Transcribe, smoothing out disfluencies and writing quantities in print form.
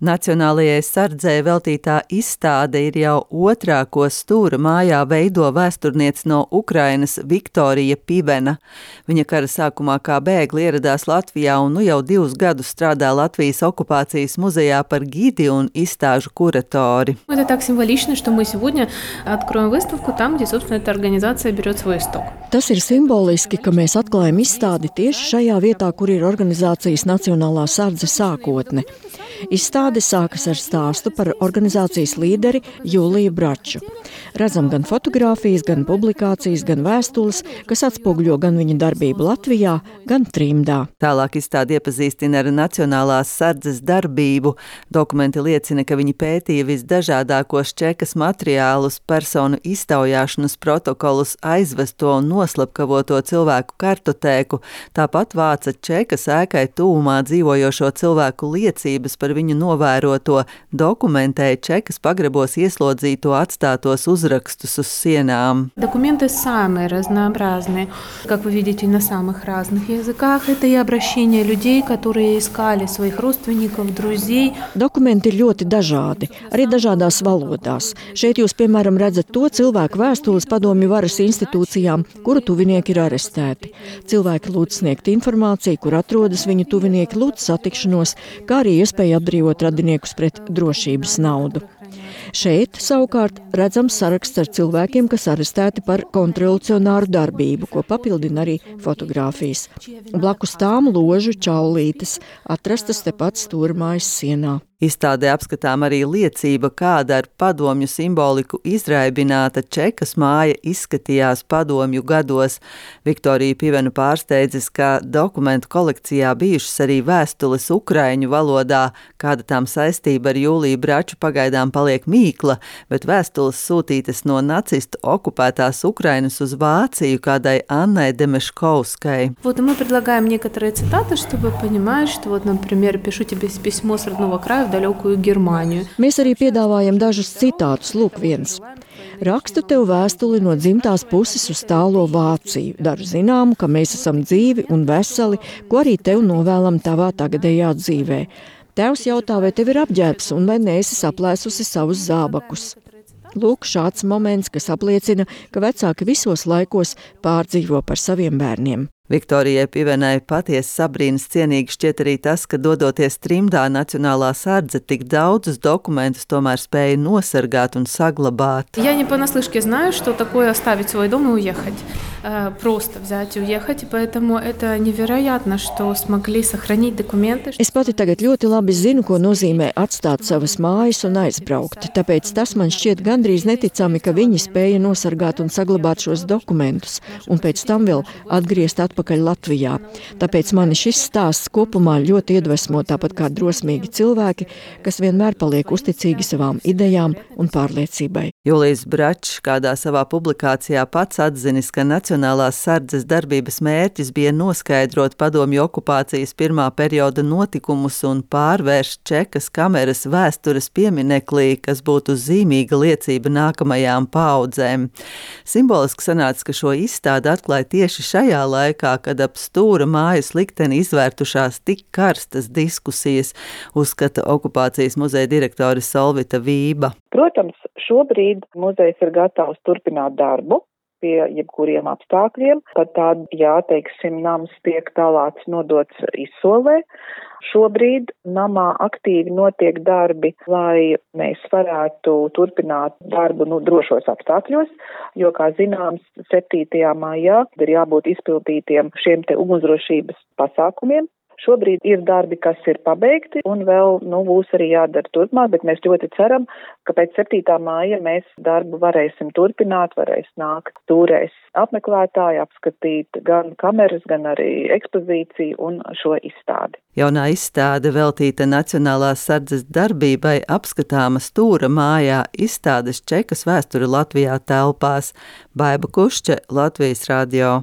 Nacionālajai sardzē veltītā izstāde ir jau otrā, ko Stūra mājā veido vēsturniece no Ukrainas Viktorija Pivena. Viņa kara sākumā kā bēgli ieradās Latvijā un nu jau 2 gadus strādā Latvijas okupācijas muzejā par gidi un izstāžu kuratori. Это так символично, что мы сегодня откроем выставку там, где, собственно, эта организация берет свой исток. Tas ir simboliski, ka mēs atklājam izstādi tieši šajā vietā, kur ir organizācijas Nacionālā sardze sākotne. Izstāde sākas ar stāstu par organizācijas līderi Jūliju Braču. Redzam gan fotogrāfijas, gan publikācijas, gan vēstules, kas atspoguļo gan viņa darbību Latvijā, gan trimdā. Tālāk izstāde iepazīstina ar Nacionālās sardzes darbību. Dokumenti liecina, ka viņi pētīja visdažādākos čekas materiālus, personu iztaujāšanas protokolus, aizvesto un noslepkavoto cilvēku kartotēku, tāpat vāca čekas ēkai tuvumā dzīvojošo cilvēku liecības par viņu novēroto, dokumentēja čekas pagrebos ieslodzīto atstātos uzrakstus uz sienām. Документы самые разнообразные, как вы видите, на самых разных языках. Это и обращения людей, которые искали своих родственников, друзей. Dokumenti ir ļoti dažādi, arī dažādās valodās. Šeit jūs, piemēram, redzat to cilvēku vēstules padomju varas institūcijām, kuru tuvinieki ir arestēti. Cilvēki lūdz sniegt informāciju, kur atrodas viņu tuvinieki, lūdz satikšanos, kā arī iespēju apbrīvot radiniekus pret drošības naudu. Šeit, savukārt, redzams saraksts ar cilvēkiem, kas arestēti par kontrrevolucionāru darbību, ko papildina arī fotogrāfijas. Blakus tām ložu čaulītes, atrastas tepat Stūra mājas sienā. Izstādē apskatām arī liecība, kāda ar padomju simboliku izraibināta čekas māja izskatījās padomju gados. Viktorija Pivena pārsteidzis, ka dokumentu kolekcijā bijušas arī vēstules ukraiņu valodā, kāda tām saistība ar Jūliju Braču pagaidām paliek mīkla, bet vēstules sūtītas no nacistu okupētās Ukrainas uz Vāciju kādai Annai Demeškovskai. Мы предлагаем некоторые цитаты, чтобы понимать, что, например, пишу тебе письмо с родного края в далекую Германию. Mēs arī piedāvājam dažus citātus. Lūk, viens. Rakstu tev vēstuli no dzimtās puses uz tālo Vāciju. Daru zināmu, ka mēs esam dzīvi un veseli, ko arī tev novēlam tavā tagadējā dzīvē. Tēvs jautā, vai tev ir apģērbs un vai neesi saplēsusi savus zābakus. Lūk, šāds moments, kas apliecina, ka vecāki visos laikos pārdzīvo par saviem bērniem. Viktorijai Pivenai patiesi sabrīnas cienīgi šķiet arī tas, ka dodoties trimdā Nacionālā sardze tik daudzus dokumentus tomēr spēja nosargāt un saglabāt. Я не понаслышке знаю, что такое оставить свой дом и уехать. Просто взять и уехать, поэтому это невероятно, что смогли сохранить документы. Es pati tagad ļoti labi zinu, ko nozīmē atstāt savas mājas un aizbraukt. Tāpēc tas man šķiet gandrīz neticami, ka viņi spēja nosargāt un saglabāt šos dokumentus un pēc tam vēl atgriezt atpakaļ Latvijā. Tāpēc mani šis stāsts kopumā ļoti iedvesmo, tāpat kā drosmīgi cilvēki, kas vienmēr paliek uzticīgi savām idejām un pārliecībai. Jūlijs Bračs kādā savā publikācijā pats atzinis, ka Nacionālās sardzes darbības mērķis bija noskaidrot padomju okupācijas pirmā perioda notikumus un pārvērst čekas kameras vēstures piemineklī, kas būtu zīmīga liecība nākamajām paaudzēm. Simboliski sanāca, ka šo izstādi atklāja tieši šajā laikā, kad ap Stūra mājas likteni izvērtušās tik karstas diskusijas, uzskata okupācijas muzeja direktore Solvita Vība. Protams, šobrīd muzejs ir gatavs turpināt darbu pie jebkuriem apstākļiem, pat tād, teiksim, nams tiek tālāks nodots izsolē. Šobrīd namā aktīvi notiek darbi, lai mēs varētu turpināt darbu drošos apstākļos, jo, kā zināms, 7. maijā ir jābūt izpildītiem šiem te ugunsdrošības pasākumiem. Šobrīd ir darbi, kas ir pabeigti, un vēl būs arī jādara turpmāk, bet mēs ļoti ceram, ka pēc 7. māja mēs darbu varēsim turpināt, varēs nākt Stūrēs apmeklētāji, apskatīt gan kameras, gan arī ekspozīciju un šo izstādi. Jaunā izstāde veltīta Nacionālās sardzes darbībai apskatāma Stūra mājā izstādes čekas vēsture Latvijā telpās. Baiba Kušče, Latvijas radio.